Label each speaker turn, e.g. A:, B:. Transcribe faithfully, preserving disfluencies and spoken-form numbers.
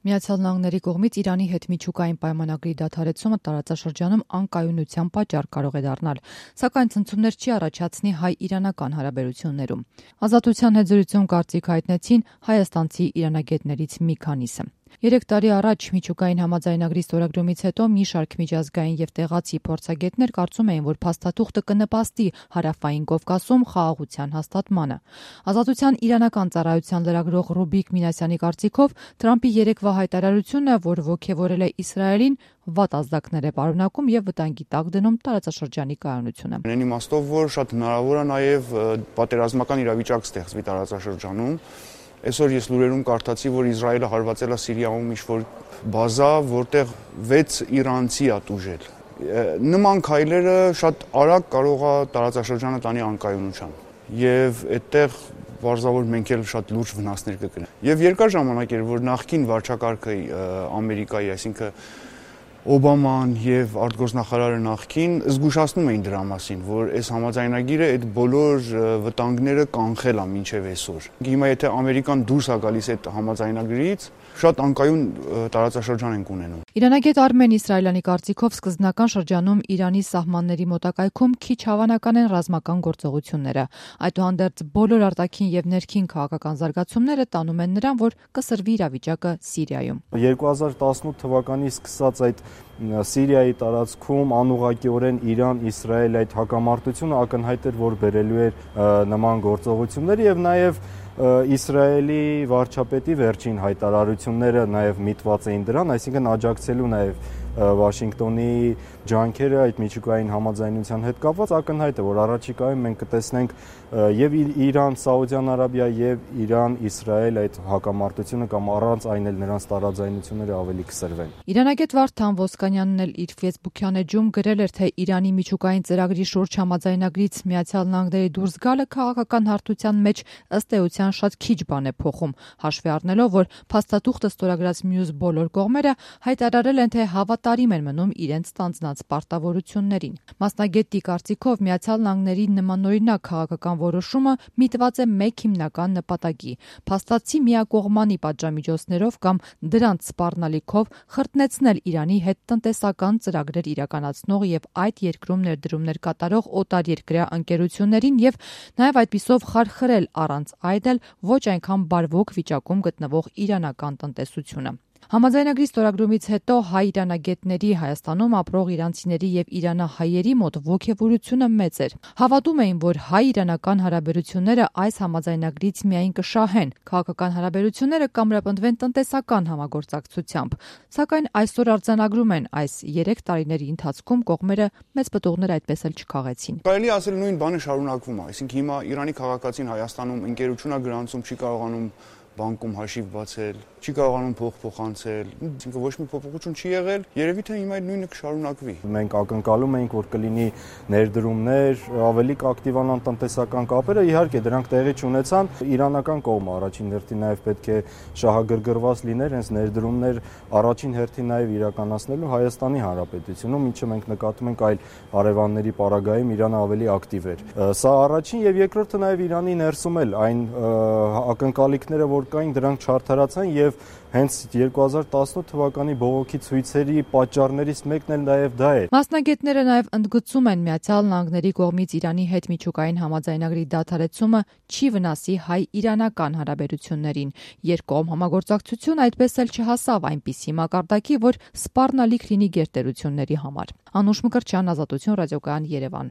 A: Միացյալ Նահանգների կողմից Իրանի հետ միջուկային պայմանագրի դադարեցումը տարածաշրջանում անկայունության պատճառ կարող է դառնալ, սակայն ցնցումներ չի առաջացնի հայ-իրանական հարաբերություններում։ Ազատության հետ զրույցում կարծիք հայտնեցին հայաստանցի իրանագետներից մի քանիսը։ Երեք տարի առաջ միջուկային համաձայնագրի ստորագրումից հետո մի շարք միջազգային եւ տեղացի փորձագետներ կարծում էին, որ փաստաթուղթը կնպաստի Հարավային Կովկասում խաղաղության հաստատմանը։ Ազատության իրանական ծառայության լրագրող Ռուբիկ Մինասյանի կարծիքով Թրամփի երեկվա հայտարարությունը, որ ոգևորել է Իսրայելին, վատ ազդակներ է պարունակում եւ վտանգի տակ դնում տարածաշրջանի կայունությունը։
B: Այն իմաստով, որ շատ հնարավոր է նաեւ պատերազմական իրավիճակ ստեղծվի տարածաշրջանում։ Այսօր ես լուրերում կարդացի, որ Իսրայելը հարվածել է Սիրիայում ինչ-որ բազա, որտեղ վեց իրանցի է տուժել։ Նման քայլերը շատ արագ կարող է տարածաշրջանը տանի անկայունության։ Եվ այդտեղ բարձրավոր մենք էլ շատ լուրջ վնասներ կգրենք։ Եվ երկար ժամանակ էր, որ նախկին վարչակարգը Ամերիկայի, այսինքն Օբաման եւ արտգործնախարարը նախկին զգուշացնում էին դրա մասին, որ այս համաձայնագիրը այդ բոլոր վտանգները կանխել է մինչեւ այսօր։ Հիմա եթե Ամերիկան դուրս է գալիս այդ համաձայնագրից, շատ անկայուն տարածաշրջան ենք ունենում։
A: Իրանագետ Արմեն Իսրայելյանի կարծիքով սկզբնական շրջանում Իրանի սահմանների մոտակայքում քիչ հավանական են ռազմական գործողությունները։ Այդուհանդերձ բոլոր արտաքին եւ ներքին քաղաքական զարգացումները տանում են նրան, որ կսրվի իրավիճակը Սիրիայում։
C: երկու հազար տասնութ թվականից սկսած այդ Սիրիայի տարածքում անուղղակիորեն Իրան-Իսրայել այդ հակամարտությունը ակնհայտ էր, որ բերելու էր նման գործողություններ եւ նաեւ Իսրայելի վարչապետի վերջին հայտարարությունները նաև միտված էին դրան, այսինքն աջակցելու նաև Վաշինգտոնի ջանքերը այդ միջուկային համաձայնության հետ կապված ակնհայտ է, որ առաջիկայում մենք կտեսնենք եւ Իրան, Սաուդյան Արաբիա եւ Իրան-Իսրայել այդ հակամարտությունը կամ առանց այն էլ նրանց տարաձայնությունները ավելի կսրվեն։
A: Իրանագետ Վարդան Ոսկանյանն էլ իր Facebook-յան էջում գրել էր, թե Իրանի միջուկային ծրագրի շուրջ համաձայնագրից Միացյալ Նահանգների դուրս գալը քաղաքական հարթության մեջ ըստ էության շատ քիչ բան է փոխում, հաշվի առնելով, որ փաստաթուղթը ստորագրած մյուս բոլոր կողմերը հայտարարել են, թե հավատարիմ են մնում իրենց ստանձնած պարտավորություններին։ Մասնագետի կարծիքով Միացյալ Նահանգների նմանօրինակ քաղաքական որոշումը միտված է մեկ հիմնական նպատակի՝ փաստացի միակողմանի պատժամիջոցներով կամ դրանց սպառնալիքով խրտնեցնել Իրանի հետ տնտեսական ծրագրեր իրականացնող եւ այդ երկրում ներդրումներ կատարող օտարերկրյա ընկերություններին եւ նաեւ այդպիսով խարխրել առանց այդ էլ ոչ այնքան բարվոք վիճակում գտնվող իրանական տնտեսությունը։ Համաձայնագրի ստորագրումից հետո հայ-իրանագետների Հայաստանում ապրող իրանցիների եւ իրանահայերի մոտ ոգևորությունը մեծ էր։ Հավատում էին, որ հայ-իրանական հարաբերությունները այս համաձայնագրից միայն կշահեն, քաղաքական հարաբերությունները կամրապնդվեն տնտեսական համագործակցությամբ։ Սակայն այսօր արձանագրում են, այս երեք տարիների ընթացքում կողմերը մեծ պտուղներ այդպես էլ չքաղեցին։
B: Կարելի ասել նույն բանը շարունակվում է, այսինքն հիմա Իրանի քաղաքացին Հայաստանում ընկերությունա գրանցում չի կարողանում բանկում հաշիվ բացել, չի կարողանում փող փոխանցել, այսինքն ոչ մի փոփոխություն չի եղել, երևի թե հիմա այդ նույնը կշարունակվի։
C: Մենք ակնկալում ենք, որ կլինի ներդրումներ, ավելի կակտիվանան տնտեսական կապերը, իհարկե դրանք տեղի չունեցան, իրանական կողմը առաջին հերթին նաև պետք է շահագրգռված լիներ, հենց ներդրումներ առաջին հերթին նաև իրականացնելու Հայաստանի Հանրապետությունում, ինչը մենք նկատում ենք այլ հարևանների պարագայում Իրանը ավելի ակտիվ էր։ Սա առաջին եւ երկրորդը նաև Իրանի ներսում էլ այն ակնկալիքները, որ կային, դրանք չարդարացան եւ հենց երկու հազար տասնութ թվականի բողոքի ցույցերի պատճառներից մեկն էլ նաև դա է։
A: Մասնագետները նաև ընդգծում են Միացյալ Նահանգների կողմից Իրանի հետ միջուկային համաձայնագրի դադարեցումը չի վնասի հայ-իրանական հարաբերություններին։ Երկկողմ համագործակցությունը այդպես էլ չհասավ այնպիսի մակարդակի, որ սպառնալիք լինի գերտերությունների համար։ Անուշ Մկրտչյան, Ազատություն ռադիոկայան, Երևան։